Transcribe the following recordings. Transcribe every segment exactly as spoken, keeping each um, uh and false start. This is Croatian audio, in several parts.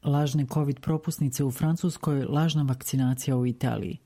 Lažne COVID propusnice u Francuskoj, lažna vakcinacija u Italiji.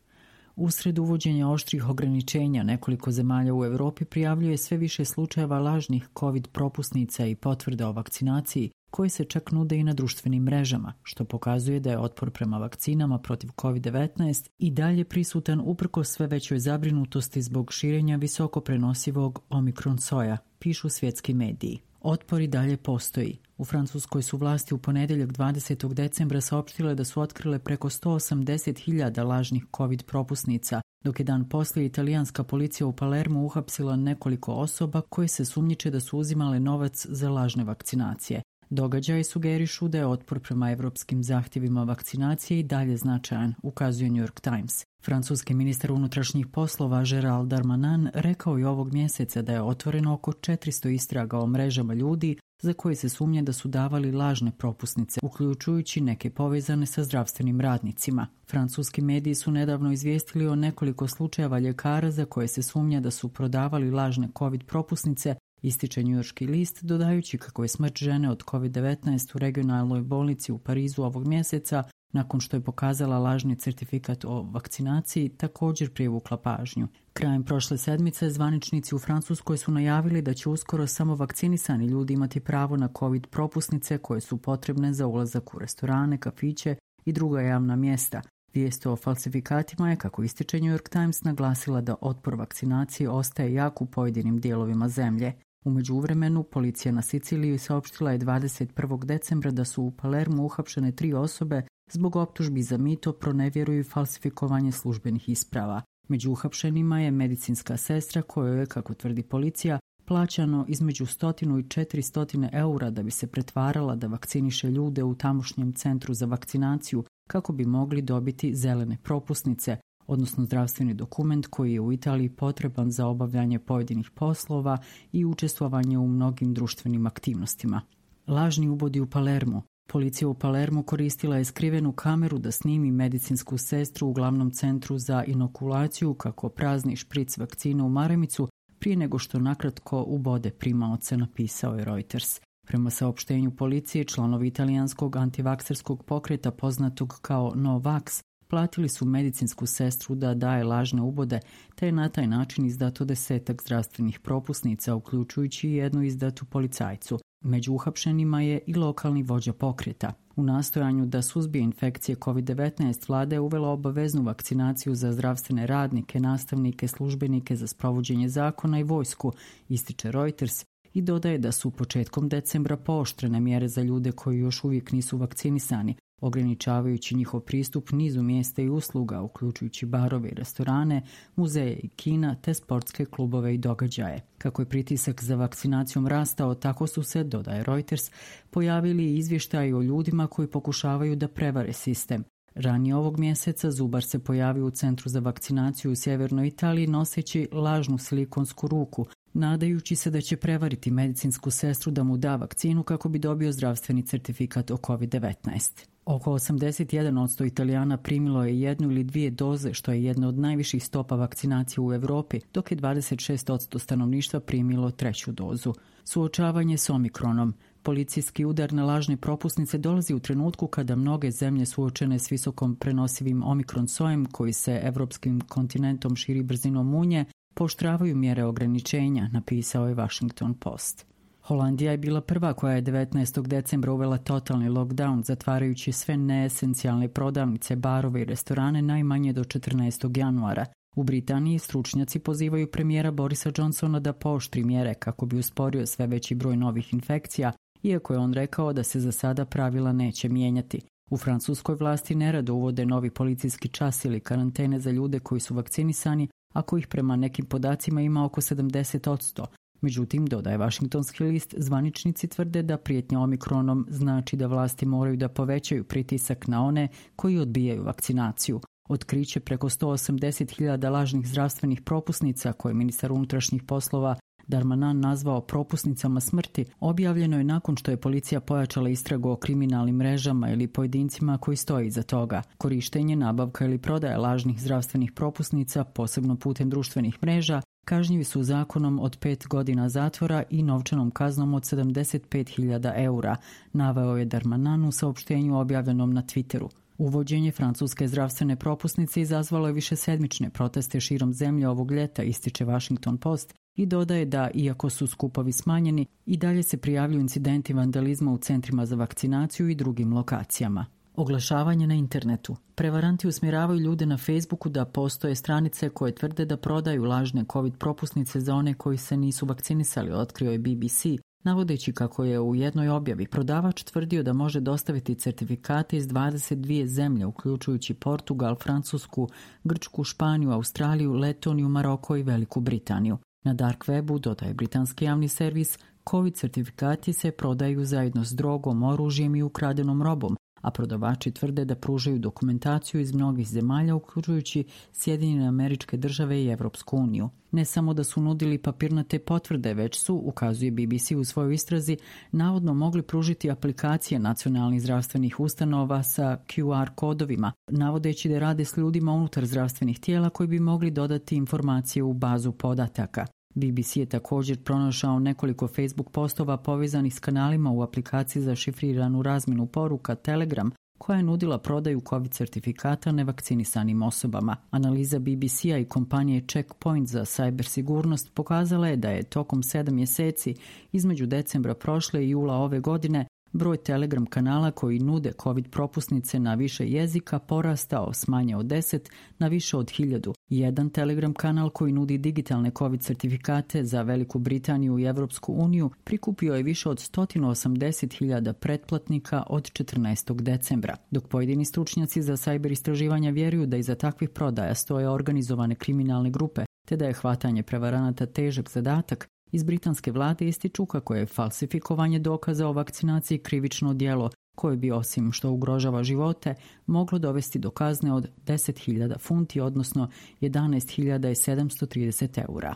Usred uvođenja oštrih ograničenja, nekoliko zemalja u Europi prijavljuje sve više slučajeva lažnih COVID propusnica i potvrda o vakcinaciji, koji se čak nude i na društvenim mrežama, što pokazuje da je otpor prema vakcinama protiv COVID devetnaest i dalje prisutan uprkos sve većoj zabrinutosti zbog širenja visoko prenosivog omikron soja, pišu svjetski mediji. Otpor i dalje postoji. U Francuskoj su vlasti u ponedjeljak dvadesetog decembra saopštile da su otkrile preko sto osamdeset hiljada lažnih COVID propusnica, dok je dan poslije italijanska policija u Palermu uhapsila nekoliko osoba koje se sumnjiče da su uzimale novac za lažne vakcinacije. Događaji sugerišu da je otpor prema evropskim zahtjevima vakcinacije i dalje značajan, ukazuje New York Times. Francuski ministar unutrašnjih poslova Gérald Darmanin rekao je ovog mjeseca da je otvoreno oko četiristo istraga o mrežama ljudi za koje se sumnje da su davali lažne propusnice, uključujući neke povezane sa zdravstvenim radnicima. Francuski mediji su nedavno izvijestili o nekoliko slučajeva ljekara za koje se sumnja da su prodavali lažne COVID propusnice, ističe njujorški list, dodajući kako je smrt žene od COVID devetnaest u regionalnoj bolnici u Parizu ovog mjeseca, nakon što je pokazala lažni certifikat o vakcinaciji, također privukla pažnju. Krajem prošle sedmice zvaničnici u Francuskoj su najavili da će uskoro samo vakcinisani ljudi imati pravo na COVID propusnice koje su potrebne za ulazak u restorane, kafiće i druga javna mjesta. Vijest o falsifikatima je, kako ističe New York Times, naglasila da otpor vakcinaciji ostaje jak u pojedinim dijelovima zemlje. U međuvremenu, policija na Siciliji saopštila je dvadeset prvog decembra da su u Palermu uhapšene tri osobe zbog optužbi za mito, pronevjeru i falsifikovanje službenih isprava. Među uhapšenima je medicinska sestra kojoj je, kako tvrdi policija, plaćano između stotinu i četiri stotine eura da bi se pretvarala da vakciniše ljude u tamošnjem centru za vakcinaciju kako bi mogli dobiti zelene propusnice, odnosno zdravstveni dokument koji je u Italiji potreban za obavljanje pojedinih poslova i učestvovanje u mnogim društvenim aktivnostima. Lažni ubodi u Palermu. Policija u Palermu koristila je skrivenu kameru da snimi medicinsku sestru u glavnom centru za inokulaciju kako prazni špric vakcine u maramicu prije nego što nakratko ubode primaoce, napisao je Reuters. Prema saopštenju policije, članovi italijanskog antivakserskog pokreta poznatog kao No Vax platili su medicinsku sestru da daje lažne ubode, te je na taj način izdato desetak zdravstvenih propusnica, uključujući jednu izdatu policajcu. Među uhapšenima je i lokalni vođa pokreta. U nastojanju da suzbije infekcije COVID devetnaest, vlada je uvela obaveznu vakcinaciju za zdravstvene radnike, nastavnike, službenike za sprovođenje zakona i vojsku, ističe Reuters, i dodaje da su početkom decembra pooštrene mjere za ljude koji još uvijek nisu vakcinisani, ograničavajući njihov pristup nizu mjesta i usluga, uključujući barove i restorane, muzeje i kina, te sportske klubove i događaje. Kako je pritisak za vakcinacijom rastao, tako su se, dodaje Reuters, pojavili i izvještaji o ljudima koji pokušavaju da prevare sistem. Ranije ovog mjeseca zubar se pojavio u centru za vakcinaciju u sjevernoj Italiji noseći lažnu silikonsku ruku, nadajući se da će prevariti medicinsku sestru da mu da vakcinu kako bi dobio zdravstveni certifikat o COVID devetnaest. Oko osamdeset jedan posto Italijana primilo je jednu ili dvije doze, što je jedna od najviših stopa vakcinacije u Europi, dok je dvadeset šest posto stanovništva primilo treću dozu. Suočavanje s omikronom. Policijski udar na lažne propusnice dolazi u trenutku kada mnoge zemlje suočene s visokom prenosivim omikron sojem koji se evropskim kontinentom širi brzinom munje, pooštravaju mjere ograničenja, napisao je Washington Post. Holandija je bila prva koja je devetnaestog decembra uvela totalni lockdown, zatvarajući sve neesencijalne prodavnice, barove i restorane najmanje do četrnaestog januara. U Britaniji stručnjaci pozivaju premijera Borisa Johnsona da pooštri mjere kako bi usporio sve veći broj novih infekcija, iako je on rekao da se za sada pravila neće mijenjati. U Francuskoj vlasti nerado uvode novi policijski čas ili karantene za ljude koji su vakcinisani, a kojih prema nekim podacima ima oko sedamdeset posto. Međutim, dodaje Washingtonski list, zvaničnici tvrde da prijetnja omikronom znači da vlasti moraju da povećaju pritisak na one koji odbijaju vakcinaciju. Otkriće preko sto osamdeset hiljada lažnih zdravstvenih propusnica koje ministar unutrašnjih poslova Darmanin nazvao propusnicama smrti, objavljeno je nakon što je policija pojačala istragu o kriminalnim mrežama ili pojedincima koji stoji iza toga. Korištenje, nabavka ili prodaja lažnih zdravstvenih propusnica, posebno putem društvenih mreža, kažnjivi su zakonom od pet godina zatvora i novčanom kaznom od sedamdeset pet hiljada eura, naveo je Darmanin u saopštenju objavljenom na Twitteru. Uvođenje francuske zdravstvene propusnice izazvalo je višesedmične proteste širom zemlje ovog ljeta, ističe Washington Post, i dodaje da, iako su skupovi smanjeni, i dalje se prijavljuju incidenti vandalizma u centrima za vakcinaciju i drugim lokacijama. Oglašavanje na internetu. Prevaranti usmjeravaju ljude na Facebooku da postoje stranice koje tvrde da prodaju lažne COVID propusnice za one koji se nisu vakcinisali, otkrio je B B C, navodeći kako je u jednoj objavi prodavač tvrdio da može dostaviti certifikate iz dvadeset dvije zemlje, uključujući Portugal, Francusku, Grčku, Španiju, Australiju, Letoniju, Maroko i Veliku Britaniju. Na dark webu, dodaje britanski javni servis, COVID certifikati se prodaju zajedno s drogom, oružjem i ukradenom robom, a prodavači tvrde da pružaju dokumentaciju iz mnogih zemalja, uključujući Sjedinjene Američke Države i Evropsku uniju. Ne samo da su nudili papirnate potvrde, već su, ukazuje B B C u svojoj istrazi, navodno mogli pružiti aplikacije nacionalnih zdravstvenih ustanova sa Q R kodovima, navodeći da rade s ljudima unutar zdravstvenih tijela koji bi mogli dodati informacije u bazu podataka. B B C je također pronašao nekoliko Facebook postova povezanih s kanalima u aplikaciji za šifriranu razmjenu poruka Telegram, koja je nudila prodaju COVID certifikata nevakcinisanim osobama. Analiza B B C-a i kompanije Checkpoint za cyber sigurnost pokazala je da je tokom sedam mjeseci između decembra prošle i jula ove godine broj Telegram kanala koji nude COVID propusnice na više jezika porastao s manje od deset na više od hiljadu. Jedan Telegram kanal koji nudi digitalne COVID certifikate za Veliku Britaniju i Evropsku uniju prikupio je više od sto osamdeset hiljada pretplatnika od četrnaestog decembra, dok pojedini stručnjaci za cyber istraživanja vjeruju da iza takvih prodaja stoje organizovane kriminalne grupe, te da je hvatanje prevaranata težak zadatak. Iz britanske vlade ističu kako je falsifikovanje dokaza o vakcinaciji krivično djelo koje bi, osim što ugrožava živote, moglo dovesti do kazne od deset hiljada funti, odnosno jedanaest hiljada sedamsto trideset eura.